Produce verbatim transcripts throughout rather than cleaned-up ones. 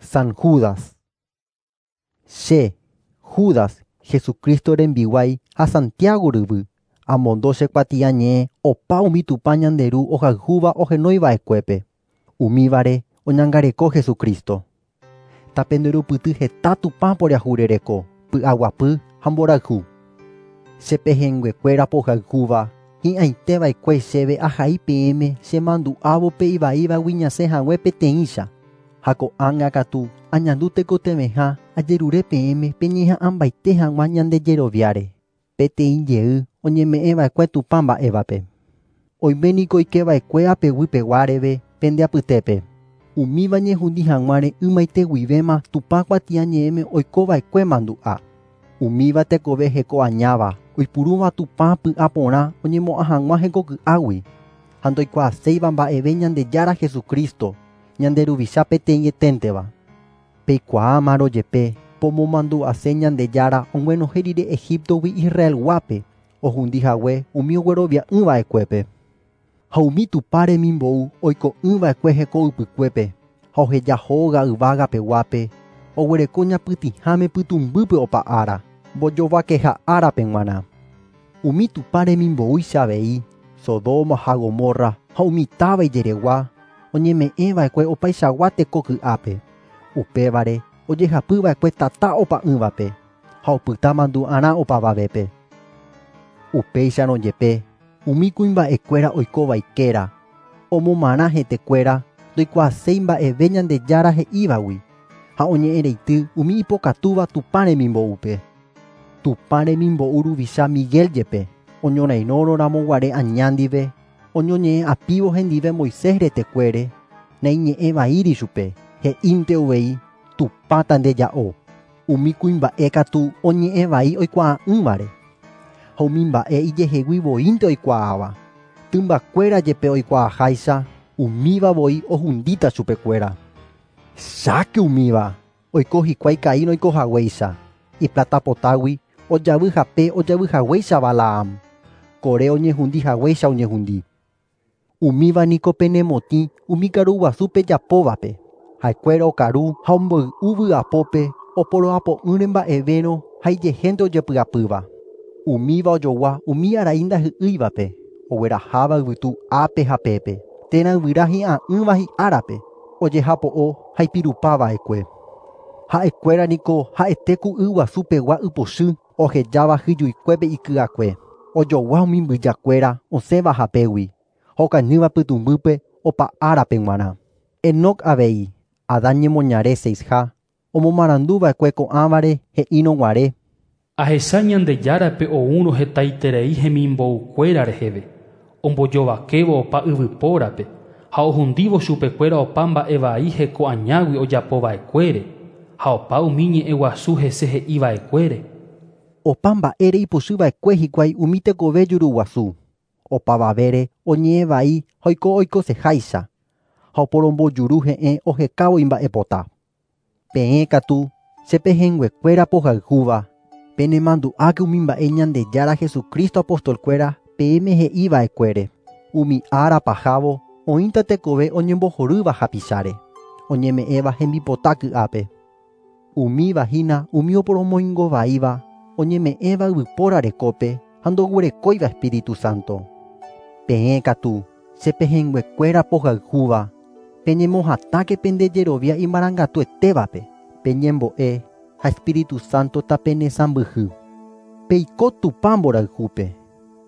San Judas. Che, Judas, Jesucristo rembiguái ha Santiago ryvy, amondo che kuatiañe'ẽ opa umi Tupã ñande Ru ohayhúva ohenoiva'ekuépe. Umívare oñangareko Jesucristo. Tapenderupyty heta Tupã poriahurereko, py'aguapy ha mborayhu. Che pehẽnguekuéra pohayhúva, hi'ãiteva'ekue chéve ahai peẽme chemandu'ávo pe ivaívagui ñasẽ hague peteĩcha. Ha ko'ág̃a katu añandu tekotevẽha ajerure peẽme peñeha'ãmbaite hag̃ua ñandejeroviáre. Peteĩ jey oñeme'ẽva'ekue Tupã mba'évape. Oime niko oikeva'ekue apeguypeguáreve pende apytépe. Umíva ñehundi hag̃uáre ymaite guivéma Tupã kuatiañe'ẽme oikova'ekue mandu'a. Umíva tekove heko añáva, oipurúva Tupã py'aporã oñemo'ã hag̃ua hekoky'águi. Ha ndoikuaaséiva mba'eve Ñandejára Jesucristo, ñande ruvicha peteĩeténteva. Peikuaámarõ jepe pomomandu'ase Ñandejára og̃uenohẽ rire Egiptogui Israelguápe, ohundi hague umi oguerovia'ỹva'ekuépe. Ha umi Tupã remimbou oiko'ỹva'ekue heko ypykuépe, ha oheja hóga yvágapeguápe, oguereko ñapytĩháme pytũmbýpe opa ára, mbojovakeha árape g̃uarã. Umi Tupã remimboúicha avei, Sodoma ha Gomorra ha umi táva ijeregua, oñeme'ẽva'ekue opaichagua tekoky'ápe. Upévare ojehapyva'ekue tata opa'ỹvape ha opyta mandu'arã opavavépe. Upéicharõ jepe, umi kuimba'ekuéra oikovaikéra, omomarã hetekuéra ndoikuaaséi mba'eve Ñandejára he'ívagui ha oñe'ẽreity umi ipokatúva Tupã remimbo'úpe. Tupã remimbo'u ruvicha Miguel jepe, oñorairõramoguare aña ndive, oñoñe'ẽ apívo hendive Moisés retekuére, naiñe'ẽvaíri chupe, he'ínte uvei Tupãta ndeja'o. Umi kuimba'e katu oñe'ẽvai oikuaa'ỹvare. Ha umi mba'e ijehegui voínte oikuaáva. Tymbakuéra jepe oikuaaháicha, umíva voi ohundíta chupekuéra. Cháke umíva, oiko hikuái Caín oikohaguéicha, iplatapotágui ojavy hape ojavyhaguéicha Balaam, Coré oñehundihaguéicha oñehundi. Umíva niko penemotĩ umi karuguasu pejapóvape. Ha'ekuéra okaru ha omboy'u vy'apópe oporoapo'ỹre mba'evérõ ha ijehénte ojepy'apýva. Umíva ojogua umi arai ndahy'ýivape, ogueraháva yvytu ápe ha pépe, térã yvyra hi'a'ỹva hi'árape, ojehapo'o ha ipirupava'ekue. Ha'ekuéra niko ha'ete ku yguasupegua ypochy ohejáva hyjuikuépe iky'akue. Ojogua umi mbyjakuéra osẽva hapégui, ha okañýva pytũmbýpe opa árape g̃uarã. Enoc avei, Adán ñemoñare seisha, omomaranduva'ekue ko'ãvare he'írõguare. Ahecha Ñandejárape oúrõ hetaiterei hemimboukuéra reheve, ombojovakévo opa yvypórape ha ohundívo chupekuéra opa mba'e vai heko añágui ojapova'ekuére ha opa umi ñe'ẽ guasu hese he'iva'ekuére. Opa mba'ére ipochyva'ekue hikuái umi tekove juruguasu. Opavavére oñe'ẽvai ha oiko oikoseháicha, ha oporombojuru he'ẽ ohekávo imba'epota. Peẽ katu che pehẽnguekuéra pohayhúva, penemandu'áke umi mba'e Ñandejára Jesucristo apostolkuéra peẽme he'iva'ekuére. Umi ára pahávo oĩta tekove oñembohorýva hapicháre, oñeme'ẽva hembipota ky'ápe. Umíva hína umi oporomoingovaíva, oñeme'ẽva yvypóra rekópe ha ndoguerekóiva Espíritu Santo. Peẽ katu che pehẽnguekuéra pohayhúva, peñemohatãke pendejerovia imarangatuetévape, peñembo'e ha Espíritu Santo tapenesãmbyhy. Peiko Tupã mborayhúpe,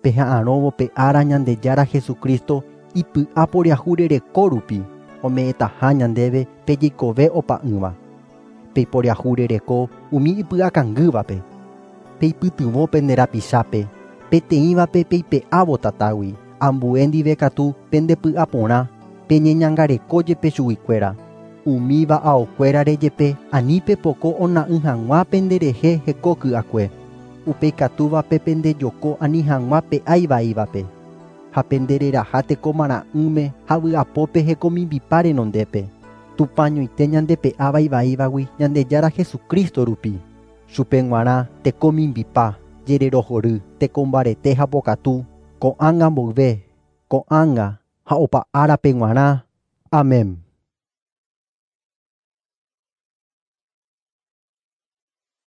peha'arõvo pe ára Ñandejára Jesucristo ipy'a poriahurereko rupi, ome'ẽtaha ñandéve pejeikove opa'ỹva. Peiporiahurereko umi ipy'akangývape, peipytyvõ pende rapichápe, peteĩvape peipe'ávo tatágui, ambue ndive katu pendepy'aporã, peñeñangareko jepe chuguikuéra. Umíva aokuérare jepe ani pepoko ona'ỹ hag̃ua penderehe heko ky'akue. Upeikatúvape pendejoko ani hag̃ua pe'aivaívape, ha pendereraha tekomarã'ỹme ha vy'apópe hekomimbipa renondépe. Tupã ñoite ñandepe'áva ivaívagui Ñandejára Jesucristo rupi. Chupe g̃uarã tekomimbipa, jererohory, tekombarete ha pokatu, ko'ág̃a mboyve, ko'ág̃a ha opa árape g̃uarã. Amén.